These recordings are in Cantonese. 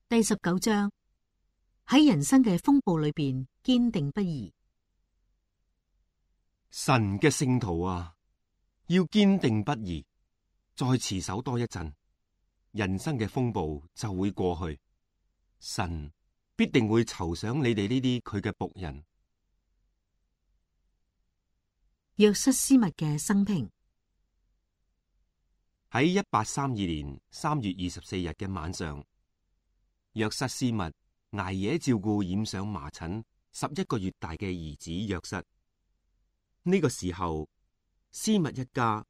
第19章，喺人生嘅風暴裏邊堅定不移。神嘅聖徒啊，要堅定不移，再持守多一陣，人生嘅風暴就會過去。神必定會酬賞你哋呢啲佢嘅僕人。約瑟斯密嘅生平。喺1832年3月24日嘅晚上，約瑟斯密挨夜照顧染上麻疹11個月大嘅兒子約瑟。呢個時候，斯密一家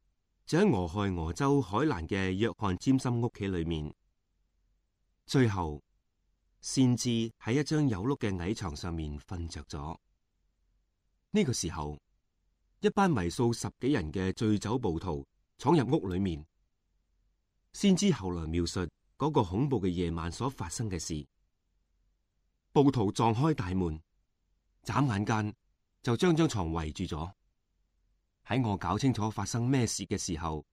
就喺俄亥俄州海蘭嘅約翰詹森屋企裏面。最後，先知喺一張有碌嘅矮床上面瞓着咗。呢個時候，一班為數10幾人嘅醉酒暴徒闖入屋裏面。先知後來描述嗰個恐怖嘅夜晚所發生嘅事。暴徒撞開大門，眨眼間就將張床圍住咗。喺我搞清楚發生咩事嘅時候，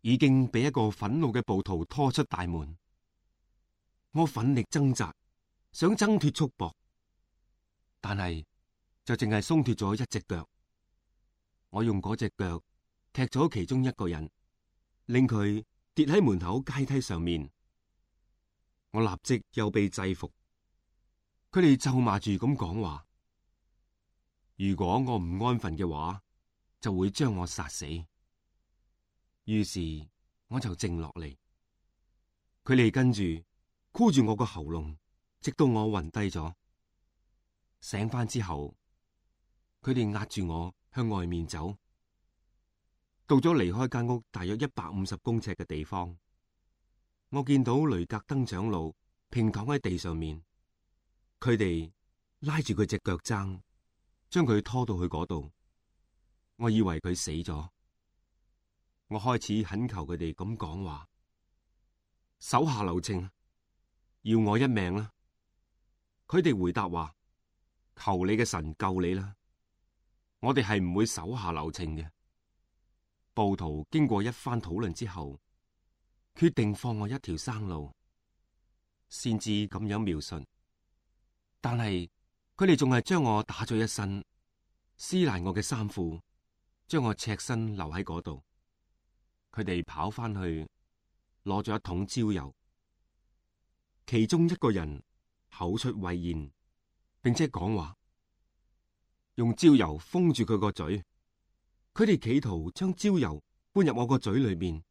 已經俾一個憤怒嘅暴徒拖出大門。我奮力掙扎，想掙脫束縛，但係就淨係鬆脫咗一隻腳。我用嗰隻腳踢咗其中一個人，令佢跌喺門口階梯上面。我立即又被制服。佢哋咒罵住咁講話：如果我唔安分嘅話，就會將我殺死。於是我就靜落嚟，佢哋跟住箍住我個喉嚨，直到我暈低咗。醒翻之後，佢哋壓住我向外面走。到咗離開間屋大約150公尺嘅地方，我見到雷格登長老平躺喺地上面，佢哋拉住佢隻腳踭，將佢拖到去嗰度。我以為佢死咗，我開始懇求佢哋咁講話：手下留情，要我一命啦！佢哋回答話：求你嘅神救你啦！我哋係唔會手下留情嘅。暴徒經過一番討論之後，決定放我一條生路。先知咁樣描述，但係佢哋仲係將我打咗一身，撕爛我嘅衫褲，將我赤身留喺嗰度。佢哋跑翻去攞咗一桶焦油，其中一個人口出穢言，並且講話，用焦油封住佢個嘴。佢哋企圖將焦油搬入我個嘴裏面。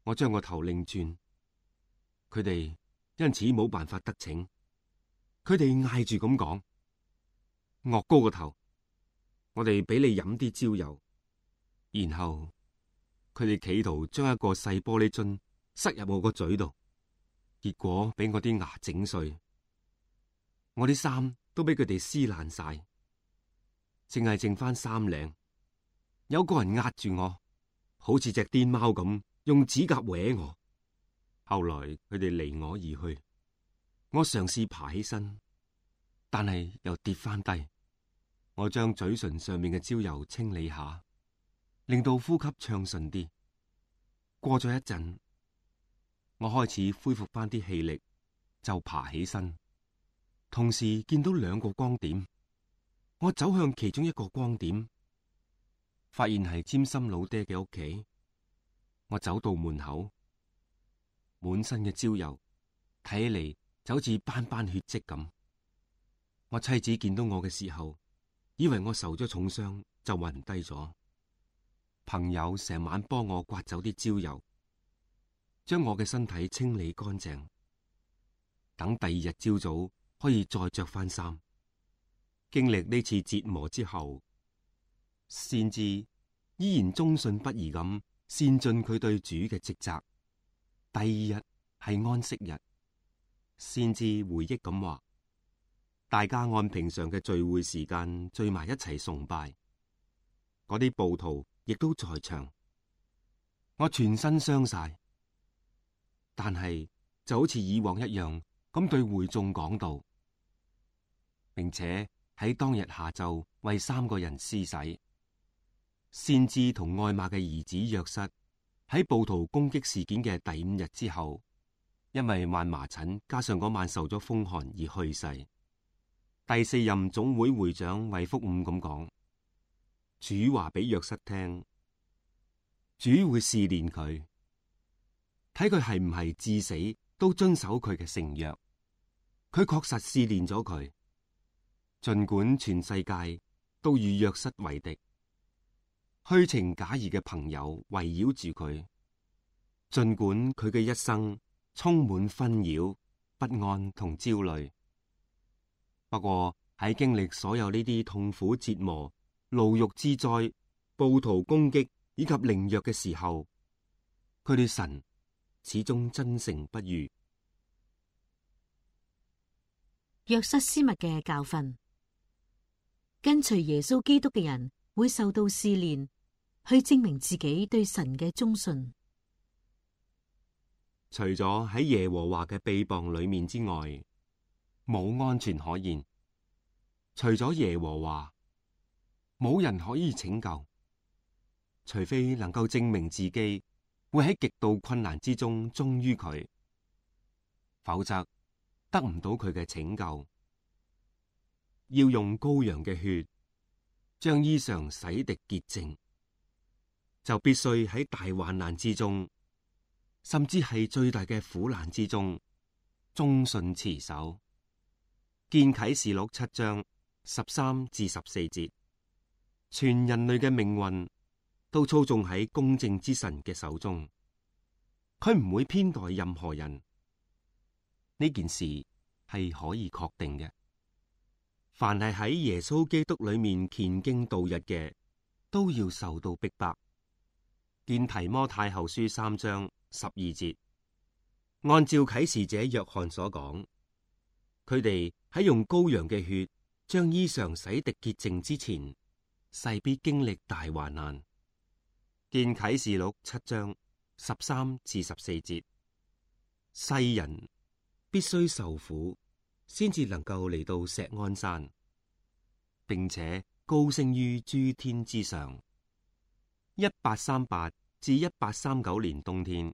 我將個頭擰轉，佢哋因此冇辦法得逞。佢哋嗌住咁講：岳高個頭，我哋俾你飲啲焦油。然後佢哋企圖將一個細玻璃樽塞入我個嘴度，結果俾我啲牙整碎。我啲衫都俾佢哋撕爛晒，淨係剩翻衫領。有個人壓住我，好似隻癲貓咁，用指甲搲我。後來佢哋離我而去。我嘗試爬起身，但係又跌翻低。我將嘴唇上面嘅焦油清理下，令到呼吸暢順啲。過咗一陣，我開始恢復翻啲氣力，就爬起身。同時見到2個光點，我走向其中一個光點。發現係詹森老爹嘅屋企，我走到門口，滿身嘅焦油，睇起嚟就好似斑斑血跡咁。我妻子見到我嘅時候，以為我受咗重傷，就暈低咗。朋友成晚幫我刮走啲焦油，將我嘅身體清理乾淨，等第2日朝早可以再着翻衫。經歷呢次折磨之後，先知依然忠信不疑咁善盡佢對主嘅職責。第2日係安息日，先知回憶咁話：大家按平常嘅聚會時間聚埋一齊崇拜，嗰啲暴徒亦都在場。我全身傷晒，但係就好似以往一樣咁對會眾講道，並且喺當日下晝為3個人施洗。先知同愛瑪嘅兒子約瑟喺暴徒攻擊事件嘅第5日之後，因為患麻疹，加上嗰晚受咗風寒而去世。第4任總會會長衛福伍咁講：主話俾約瑟聽，主會試煉佢，睇佢係唔係至死都遵守佢嘅承約。佢確實試煉咗佢，盡管全世界都與約瑟為敵，虛情假意嘅朋友圍繞住佢，盡管佢嘅一生充滿紛擾、不安同焦慮。不過喺經歷所有呢啲痛苦折磨、牢獄之災、暴徒攻擊以及凌虐嘅時候，佢對神始終真誠不渝。約瑟斯密嘅教訓：跟隨耶穌基督嘅人會受到試煉，去證明自己對神嘅忠信。除咗喺耶和華嘅臂膀裏面之外，冇安全可言。除咗耶和華，冇人可以拯救，除非能夠證明自己會喺極度困難之中忠於佢，否則得唔到佢嘅拯救。要用羔羊嘅血將衣裳洗滌潔淨，就必須喺大患難之中，甚至係最大嘅苦難之中，忠信持守。見啟示錄7章13至14節，全人類嘅命運都操縱喺公正之神嘅手中，佢唔會偏待任何人。呢件事係可以確定嘅。凡係喺耶穌基督裏面虔敬度日嘅，都要受到逼迫。見提摩太後書3章12節，按照啟示者約翰所講，佢哋喺用羔羊嘅血將衣裳洗滌潔淨之前，勢必經歷大患難。見啟示錄7章13至14節，世人必須受苦，先至能夠嚟到錫安山，並且高升於諸天之上。1838至1839年冬天，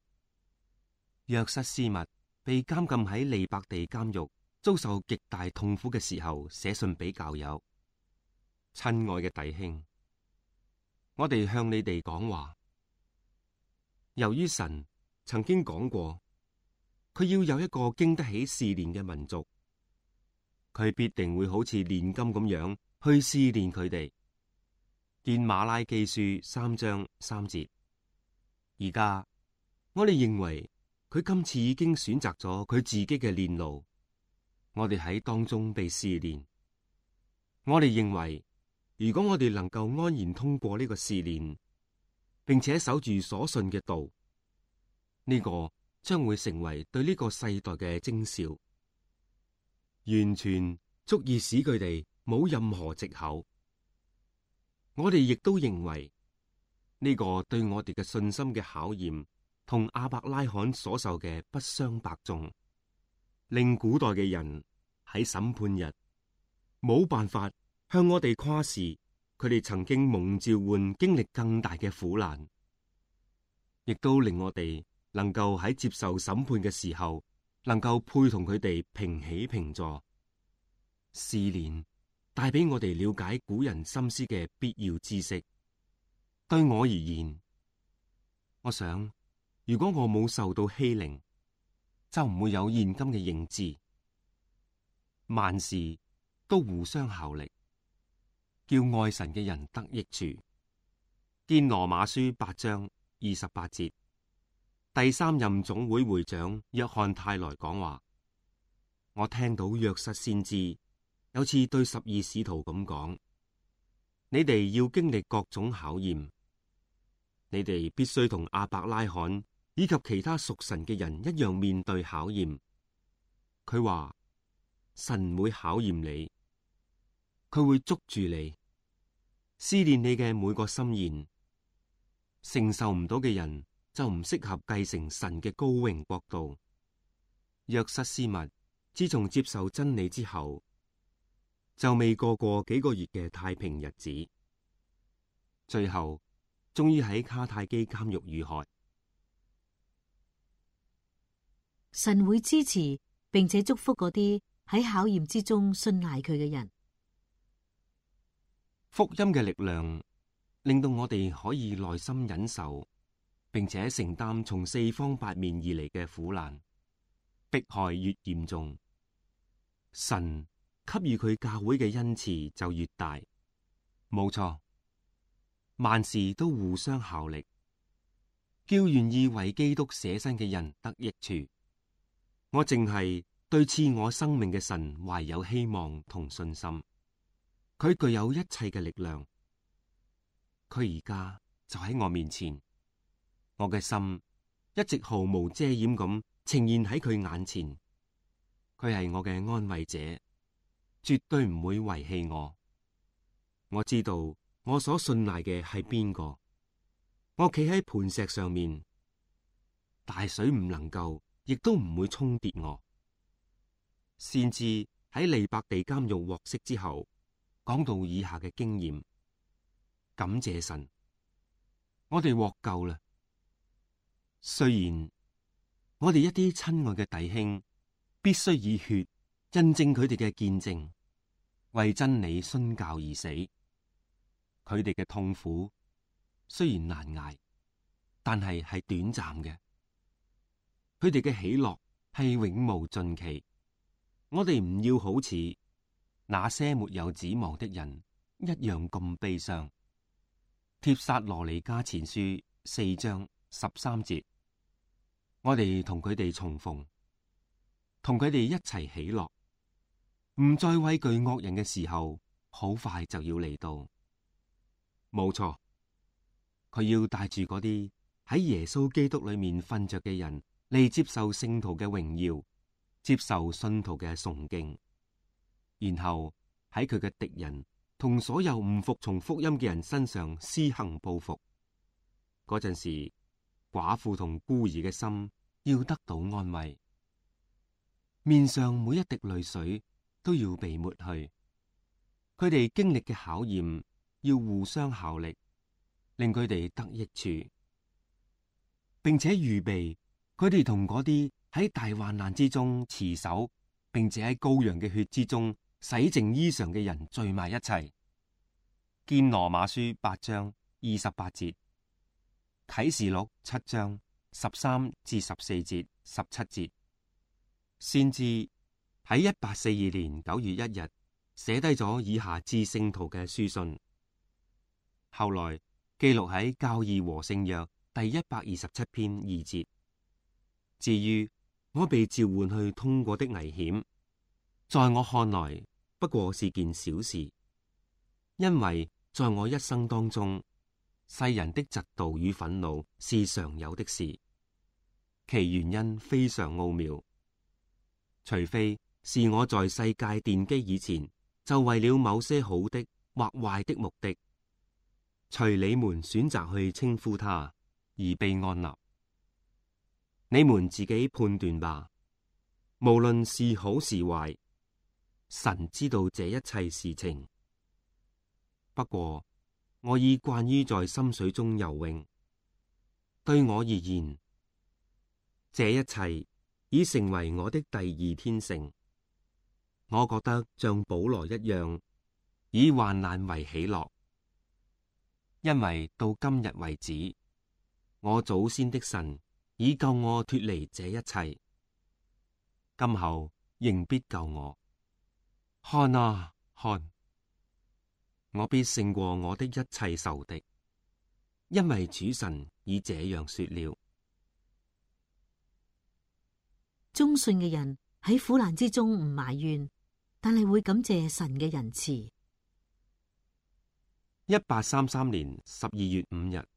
約瑟斯密被監禁喺利伯地監獄，遭受極大痛苦嘅時候，寫信俾教友：親愛嘅弟兄，我哋向你哋講話。由於神曾經講過，佢要有一個經得起試煉嘅民族，佢必定會好似煉金咁樣去試煉佢哋。見馬拉基書3章3節。而家我哋認為佢今次已經選擇咗佢自己嘅煉路，我哋喺當中被試煉。我哋認為，如果我哋能夠安然通過呢個試煉，並且守住所信嘅道，呢個將會成為對呢個世代嘅徵兆，完全足以使佢哋冇任何藉口。我哋亦都認為呢個對我哋嘅信心嘅考驗，同亞伯拉罕所受嘅不相伯仲，令古代嘅人喺審判日冇辦法向我哋誇示佢哋曾經蒙召喚經歷更大嘅苦難，亦都令我哋能夠喺接受審判嘅時候，能夠配同佢哋平起平坐。試煉帶俾我哋了解古人心思嘅必要知識。對我而言，我想如果我冇受到欺凌，就唔會有現今嘅認知。萬事都互相效力，叫愛神嘅人得益處。見羅馬書8章28節。第3任總會會長約翰泰來講話：我聽到約瑟先知有次對12使徒咁講，你哋要經歷各種考驗，你哋必須同亞伯拉罕以及其他屬神嘅人一樣面對考驗。佢話神會考驗你，佢會捉住你，試煉你嘅每個心願。承受唔到嘅人就唔適合繼承神嘅高榮國度。約瑟斯密自從接受真理之後，就未過幾個月嘅太平日子，最後終於喺卡泰基監獄遇害。神會支持並且祝福嗰啲喺考驗之中信賴佢嘅人。福音嘅力量令到我哋可以耐心忍受，並且承擔從四方八面而嚟嘅苦難。迫害越嚴重，神給予佢教會嘅恩賜就越大。冇錯，萬事都互相效力，叫願意為基督捨身嘅人得益處。我淨係對賜我生命嘅神懷有希望同信心。佢具有一切嘅力量，佢而家就喺我面前，我嘅心一直毫無遮掩咁呈現喺佢眼前。佢係我嘅安慰者，絕對唔會遺棄我。我知道我所信賴嘅係邊個。我企喺磐石上面，大水唔能夠，亦都唔會沖跌我。先知喺利伯地監獄獲釋之後，講到以下嘅經驗：感謝神，我哋獲救啦。雖然我哋一啲親愛嘅弟兄必須以血印證佢哋嘅見證，為真理殉教而死，佢哋嘅痛苦雖然難捱，但係短暫嘅；佢哋嘅喜樂係永無盡期。我哋唔要好似那些沒有指望的人一樣咁悲傷。帖撒羅尼迦前書4章13節，我哋同佢哋重逢，同佢哋一齊喜樂，唔再畏懼惡人嘅時候，好快就要嚟到。冇錯，佢要帶住嗰啲喺耶穌基督裏面瞓着嘅人嚟接受聖徒嘅榮耀，接受信徒嘅崇敬，然後喺佢嘅敵人同所有唔服從福音嘅人身上施行報復。嗰陣時，寡婦同孤兒嘅心要得到安慰，面上每一滴淚水都要被抹去。佢哋經歷嘅考驗要互相效力，令佢哋得益處，並且預備佢哋同嗰啲喺大患難之中持守，並且喺羔羊嘅血之中洗淨衣裳嘅人聚埋一齊。見羅馬書8章28節，啟示錄7章13至14節、17節。先知喺1842年9月1日寫低咗以下致聖徒嘅書信，後來記錄喺教義和聖約第127篇2節。至於我被召喚去通過的危險，在我看來不過是件小事，因為在我一生當中，世人的嫉妒與憤怒是常有的事，其原因非常奧妙。除非是我在世界奠基以前，就為了某些好的或壞的目的，隨你們選擇去稱呼他而被按立。你們自己判斷吧，無論是好是壞，神知道這一切事情。不過我已慣於在深水中游泳，對我而言，這一切已成為我的第二天性。我覺得像保羅一樣，以患難為喜樂，因為到今日為止，我祖先的神已救我脫離這一切，今後仍必救我。看啊，看，我必勝過我的一切仇敵，因為主神已這樣說了。忠信嘅人喺苦難之中唔埋怨，但係會感謝神嘅仁慈。1833年12月5日，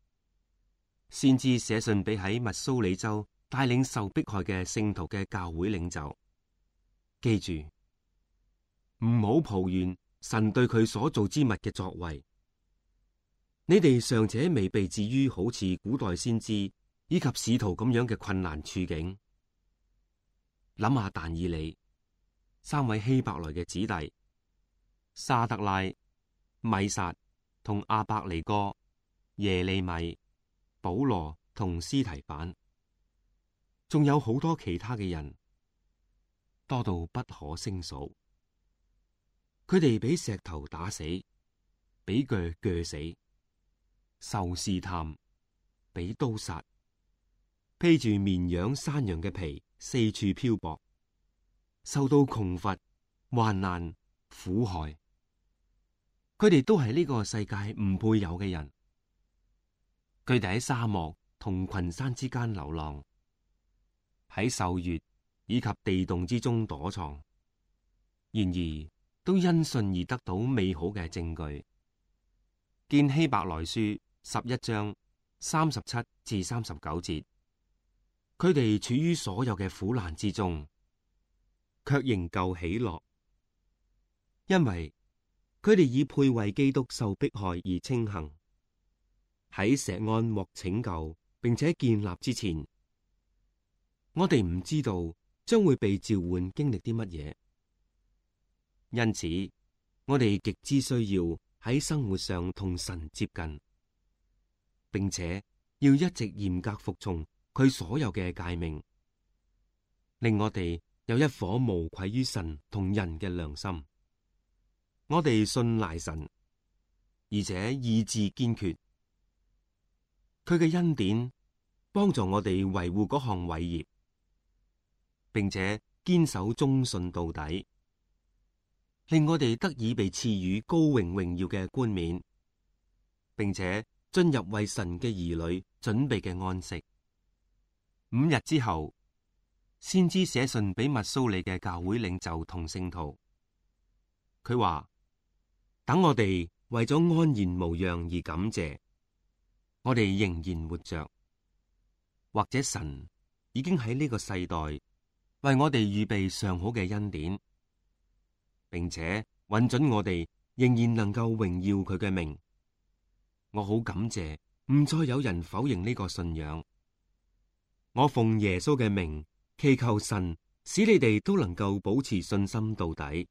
先知寫信俾喺密蘇里州帶領受迫害嘅聖徒嘅教會領袖，記住唔好抱怨神對佢所造之物嘅作為。你哋尚且未被置於好似古代先知以及使徒咁樣嘅困難處境。諗下但以理3位希伯來嘅子弟沙得拉、米撒同亞伯尼哥、耶利米、保羅同司提反，仲有好多其他嘅人，多到不可勝數。佢哋俾石頭打死，俾鋸鋸死，受試探，俾刀殺，披住綿羊、山羊嘅皮，四處漂泊，受到窮乏、患難、苦害。佢哋都係呢個世界唔配有嘅人。佢哋喺沙漠同群山之間流浪，喺獸穴以及地洞之中躲藏，然而都因信而得到美好嘅證據。見希伯來書11章37至39節，佢哋處於所有嘅苦難之中，卻仍舊喜樂，因為佢哋以配為基督受迫害而稱幸。喺錫安獲拯救並且建立之前，我哋唔知道將會被召喚經歷啲乜嘢，因此我哋極之需要喺生活上同神接近，並且要一直嚴格服從佢所有嘅誡命，令我哋有一顆無愧於神同人嘅良心。我哋信賴神，而且意志堅決。佢嘅恩典幫助我哋維護嗰項偉業，並且堅守忠信到底，令我哋得以被賜予高榮榮耀嘅冠冕，並且進入為神嘅兒女準備嘅安息。5日之後，先知寫信俾密蘇里嘅教會領袖同聖徒，佢話：等我哋為咗安然無恙而感謝，我哋仍然活着，或者神已經喺呢個世代為我哋預備上好嘅恩典，並且允准我哋仍然能夠榮耀佢嘅名。我好感謝，唔再有人否認呢個信仰。我奉耶穌嘅名祈求神，使你哋都能夠保持信心到底。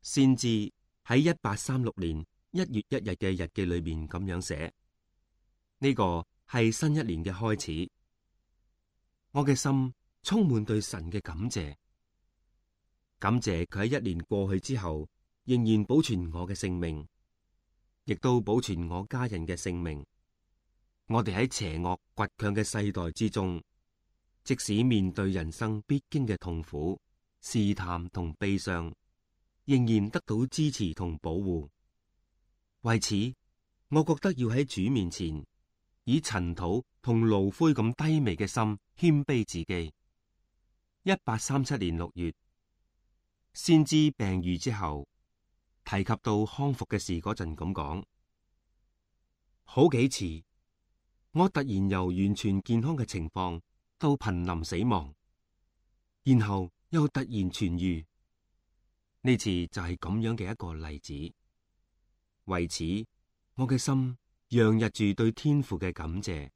先知喺1836年1月1日嘅日記裏面咁樣寫。呢個係新一年嘅開始，我嘅心充滿對神嘅感謝，感謝佢喺1年過去之後，仍然保存我嘅性命，亦都保存我家人嘅性命。我哋喺邪惡倔強嘅世代之中，即使面對人生必經嘅痛苦、試探同悲傷，仍然得到支持同保護。為此，我覺得要喺主面前，以塵土同爐灰咁低微嘅心謙卑自己。1837年6月，先知病愈之後，提及到康復嘅事嗰陣咁講：好幾次，我突然由完全健康嘅情況到瀕臨死亡，然後又突然痊愈。呢次就係咁樣嘅一個例子。為此，我嘅心洋溢住對天父嘅感謝，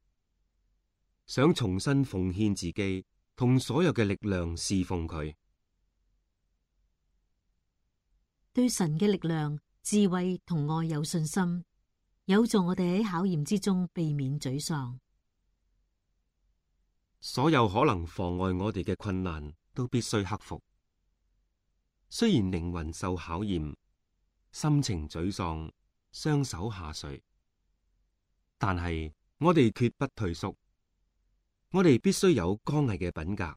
想重新奉獻自己同所有嘅力量侍奉佢。對神嘅力量、智慧同愛有信心，有助我哋喺考驗之中避免沮喪。所有可能妨礙我哋嘅困難都必須克服。雖然靈魂受考驗，心情沮喪，雙手下垂，但係我哋決不退縮。我哋必須有剛毅嘅品格，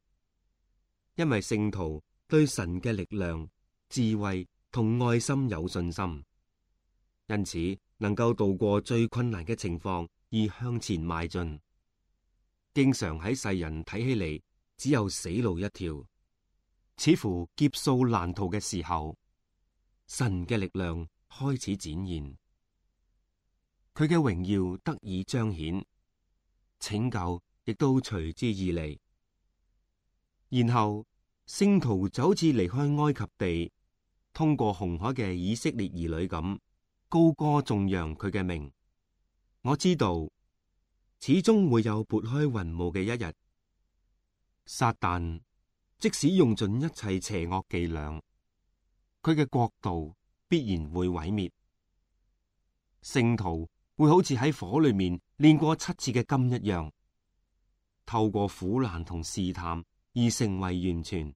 因為聖徒對神嘅力量、智慧同愛心有信心，因此能夠度過最困難嘅情況而向前邁進。經常喺世人睇起嚟只有死路一條，似乎劫數難逃嘅時候，神嘅力量開始展現，佢嘅榮耀得以彰顯，拯救亦都隨之而嚟。然後聖徒就好似離開埃及地，通過紅海嘅以色列兒女咁，高歌頌揚佢嘅名。我知道始終會有撥開雲霧嘅一日，撒旦即使用盡一切邪惡伎倆，佢嘅國度必然會毀滅。聖徒會好似喺火裏面煉過7次嘅金一樣，透過苦難同試探而成為完全。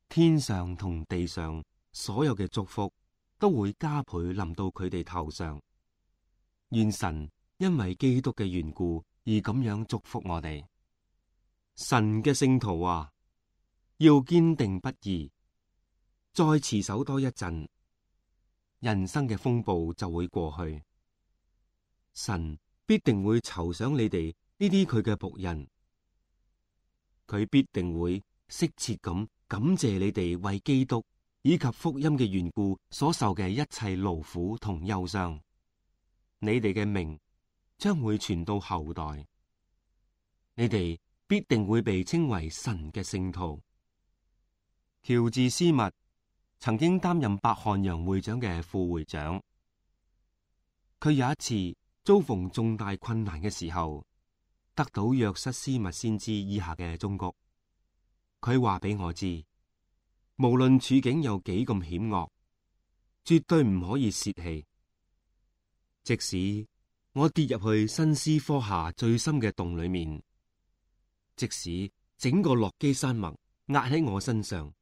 天上同地上所有嘅祝福都會加倍臨到佢哋頭上。願神因為基督嘅緣故而咁樣祝福我哋。神嘅聖徒啊，要堅定不移，再持守多一陣，人生嘅風暴就會過去。神必定會酬賞你哋呢啲佢嘅僕人，佢必定會適切咁感謝你哋為基督以及福音嘅緣故所受嘅一切勞苦同憂傷。你哋嘅名將會傳到後代，你哋必定會被稱為神嘅聖徒。喬治斯密曾經擔任伯漢洋會長嘅副會長，佢有一次遭逢重大困難嘅時候，得到約瑟斯密先知以下嘅忠告。佢話俾我知，無論處境有幾咁險惡，絕對唔可以洩氣。即使我跌入去新斯科下最深嘅洞裏面，即使整個落基山脈壓喺我身上，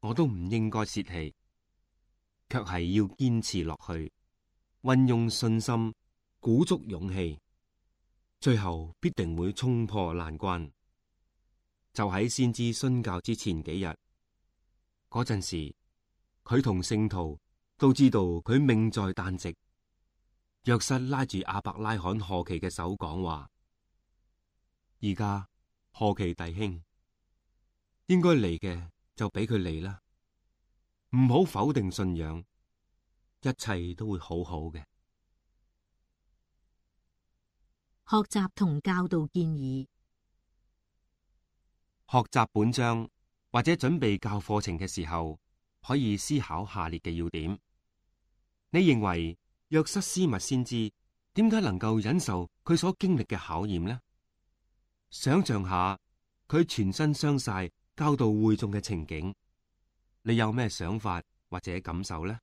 我都唔應該洩氣，卻係要堅持落去，運用信心，鼓足勇氣，最後必定會衝破難關。就喺先知殉教之前幾日，嗰陣時，佢同聖徒都知道佢命在旦夕。約瑟拉住亞伯拉罕何其嘅手講話：而家何其弟兄，應該嚟嘅就俾佢嚟啦，唔好否定信仰，一切都會好好嘅。學習同教導建議。學習本章或者準備教課程嘅時候，可以思考下列嘅要點。你認為約瑟斯密先知點解能夠忍受佢所經歷嘅考驗呢？想象下佢全身傷晒教導會眾嘅情景，你有咩想法或者感受呢？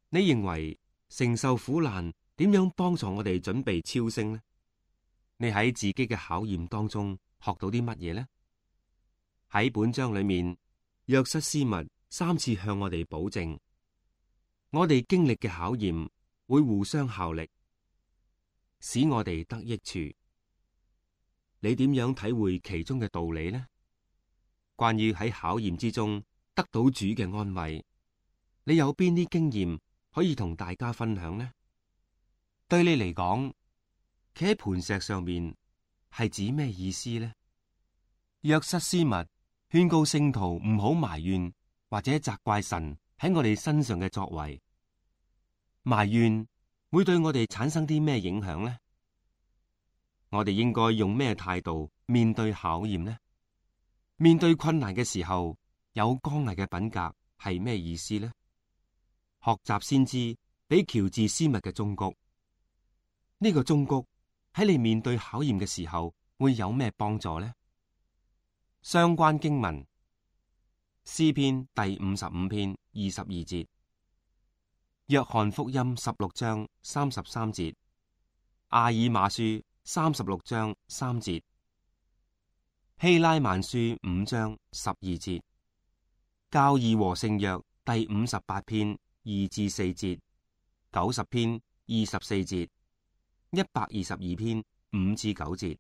你認為承受苦難點樣幫助我哋準備超升呢？你喺自己嘅考驗當中學到啲乜嘢呢？喺本章裏面，約瑟斯密3次向我哋保證，我哋經歷嘅考驗會互相效力，使我哋得益處。你點樣體會其中嘅道理呢？關於喺考驗之中得到主嘅安慰，你有邊啲經驗可以同大家分享呢？對你嚟講，企喺磐石上面係指咩意思呢？約瑟斯密勸告聖徒唔好埋怨或者責怪神喺我哋身上嘅作為，埋怨會對我哋產生啲咩影響呢？我哋應該用咩態度面對考驗呢？面對困難嘅時候，有剛毅嘅品格係咩意思呢？學習先知俾喬治斯密嘅忠告，呢個忠告喺你面對考驗嘅時候會有咩幫助呢？相關經文：詩篇第55篇22節，約翰福音16章33節，阿爾馬書36章3節，希拉曼書5章12節，教義和聖約第58篇2至4節，90篇24節，122篇5至9節。